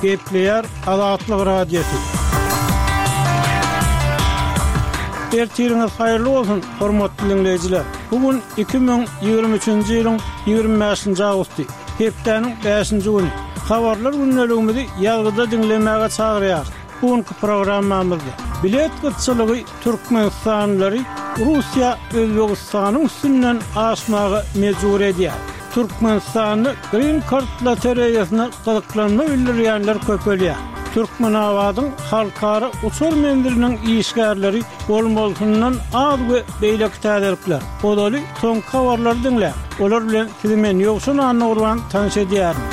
Gepleýär Azatlyk Radiosy. Ertiriňiz haýyrly bolsun, hormatly diňleýjiler! Bu gün 2023-nji ýylyň 25-nji awgusty, hepdäniň bäşinji güni. Habarlar gündeligimizi ýazgyda diňlemäge çagyrýarys. Bu günki programmamyzda bilet gytçylygy türkmenistanlylary Russiýa Özbegistanyň üstünden aşmaga mejbur edýär. Türkmenistanda Green Card lotereýasyna gyzyklanma bildirýänler köpelýär. Türkmenabadyň halkara uçar menziliniň işgärleri bolmalysyndan az we beýleki täzelikler. Ozaly soňky habarlary diňläň. Olar bilen sizi men Ýowşan Annagurban tanyş edýärin.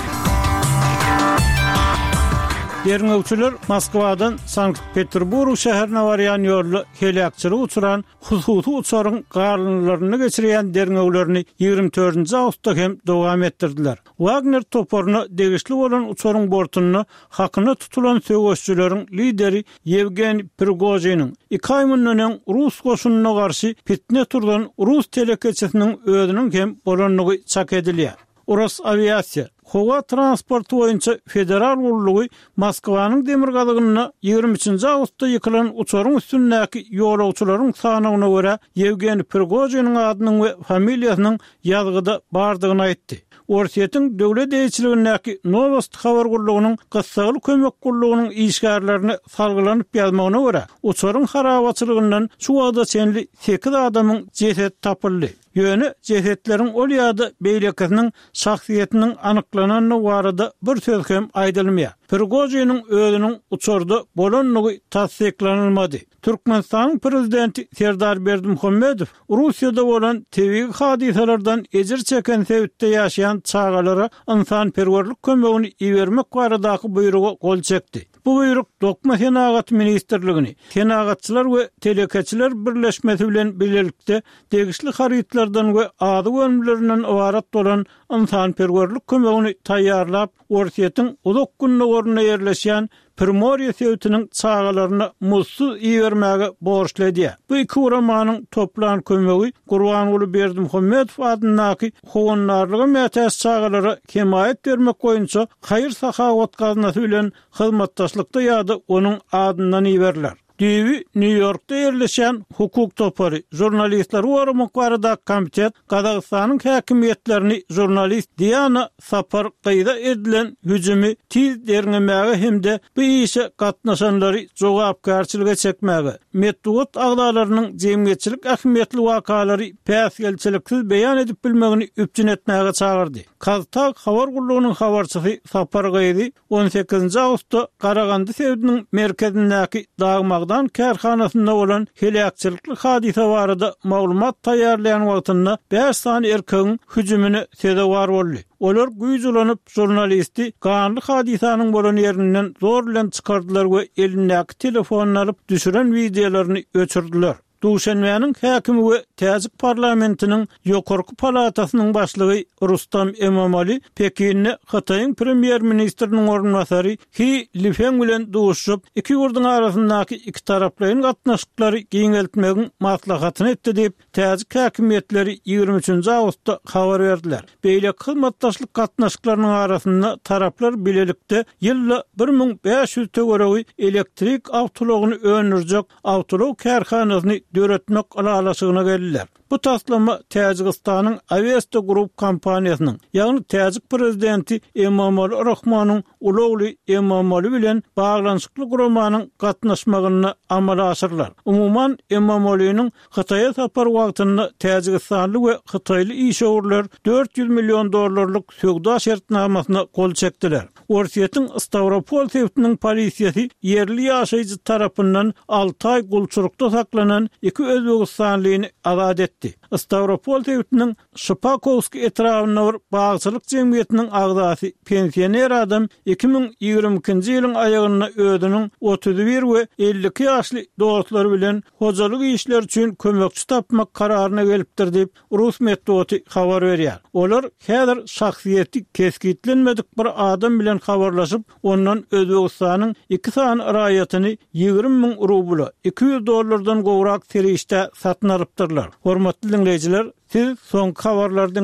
Derňewçiler Moskwadan Sankt-Peterburg şäherine barýan ýolda heläkçilige uçran hususy uçaryň galyndylarynda geçirýän derňewlerini 24-nji awgustda hem dowam etdirdiler. Wagner toparyna degişli bolan uçaryň bortunda hakyna tutulan söweşijileriň lideri Ýewgeniý Prigožiniň, iki aý mundan öň rus goşunyna garşy pitne turzan rus telekeçisiniň özüniň hem bolandygy çak edilýär. Rosawiasiýa, howa transporty boýunça federal gullugy Moskwanyň demirgazygynda 23-nji awgustda ýykylan uçaryň üstündäki ýolagçylaryň sanawyna görä Ýewgeniý Prigožiniň adynyň we familiýasynyň ýazgyda bardygyny aýtdy. Orsýetiň döwlet eýeçiligindäki Nowosti habar gullugynyň gyssagly kömek gullugynyň işgärlerine salgylanyp ýazmagyna görä, uçaryň harabaçylygyndan şu wagta çenli sekiz adamyň jesedi tapyldy. Ýöne jesetleriň ol ýa-da beýlekisiniň şahsyýetiniň anyklanandygy barada bir söz hem aýdylmaýar. Prigožiniň özüniň uçarda bolandygy tassyklanylmady. Türkmenistanyň Prezidenti Serdar Berdimuhamedow Russiýada bolan tebigy hadysalardan ejir çeken sebitde ýaşaýan çagalara ynsanperwerlik kömegini ibermek baradaky buýruga gol çekdi. Bu buýruk Dokma senagaty ministrligini, Senagatçylar we telekeçiler birleşmesi bilen bilelikde degişli harytlardan we azyk önümlerinden ybarat bolan ynsanperwerlik kömegini taýýarlap, Orsýetiň Uzak Gündogarynda ýerleşýän Primorýe sebitiniň çagalaryna muzdsuz ibermäge borçly edýär. Bu iki guramanyň toplan kömegi Gurbanguly Berdimuhamedow adyndaky howandarlyga mätäç çagalara hemaýat bermek boýunça haýyr-sahawat gaznasy bilen hyzmatdaşlykda ýa-da onuň adyndan iberiler. Düýbi Nýu-Ýorkda ýerleşýän hukuk topary, Žurnalistleri goramak baradaky komitet Gazagystanyň häkimiýetlerini žurnalist Diana Sapar gyza edilen hüjümi tiz derňemäge hem-de bu işe gatnaşanlary jogapkärçilige çekmäge, metbugat agzalarynyň jemgyýetçilik ähmiýetli wakalary päsgelçiliksiz beýan edip bilmegini üpjün etmäge çagyrdy. KazTAG habar gullugynyň habarçysy Sapar gyzy On sekizinji awgustda Garagandy sebitiniň merkezindäki dag-magdan kärhanasynda bolan heläkçilikli hadysa barada maglumat taýýarlaýan wagtynda bäş sany erkegiň hüjümine sezewar boldy. Olar güýç ulanyp, žurnalisti ganly hadysanyň bolan ýerinden zor bilen çykardylar we elindäki telefonyny alyp, düşüren wideolaryny öçürdiler. Duşenbäniň häkimi we täjik parlamentiniň ýokarky palatasynyň başlygy Rustam Emomali Pekinde Hytaýyň premýer-ministriniň orunbasary He Lifeng bilen duşuşyp, iki ýurduň arasyndaky ikitaraplaýyn gatnaşyklary giňeltmegiň maslahatyny etdi diýip, täjik häkimiýetleri 23-nji awgustda habar berdiler. Beýleki hyzmatdaşlyk gatnaşyklarynyň arasynda taraplar bilelikde ýylda 1500 töweregi elektrik awtoulagyny öndürjek awtoulag kärhanasyny döretmek ylalaşygyna geldiler. Bu taslama Täjigistanyň Awesta Group kompaniýasynyň, ýagny täjik prezidenti Emomali Rahmonyň uly ogly Emomali bilen baglanyşykly guramanyň gatnaşmagynda amala aşyrylar. Umuman, Emomaliniň Hytaýa sapary wagtynda täjigistanly we hytaýly işewürler 400 million dollarlyk söwda şertnamasyna gol çekdiler. Orsýetiň Stawropol sebitiniň polisiýasy ýerli ýaşaýjy tarapyndan alty aý gulçulykda saklanan iki özbegistanlyny azat etdi. Stawropol sebitiniň Şypakowskiý etrabynda bir bagçylyk jemgyýetiniň agzasy pensioner adam 2022-nji ýylyň aýagynda özüniň 31 we 52 ýaşly dostlary bilen hojalyk işleri üçin kömekçi tapmak kararyna gelipdir diýip, Rus metbugaty habar berýär. Olar häzir şahsyýeti kesgitlenmedik bir adam bilen habarlaşyp, ondan Özbegistanyň iki sany raýatyny 20 müň rubla, 200 dollardan gowrak serişdä satyn alypdyrlar. Hormatly diňleýjiler, siz soňky habarlary diňlediňiz.